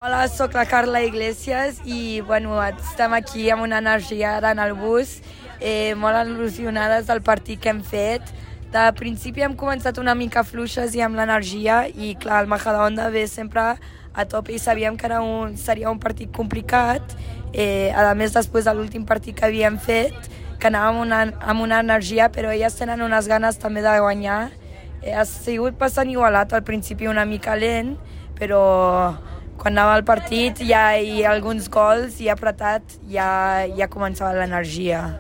Hola, sóc la Carla Iglesias i estem aquí amb una energia ara en el bus, molt il·lusionades del partit que hem fet. De principi hem començat una mica fluixes i amb l'energia i clar, el Majadahonda ve sempre a tope i sabíem que seria un partit complicat. A més, després de l'últim partit que havíem fet, que anàvem amb una energia, però elles tenen unes ganes també de guanyar. Ha sigut bastant igualat, al principi una mica lent, però quan anava al partit i alguns gols i apretat ja començava l'energia.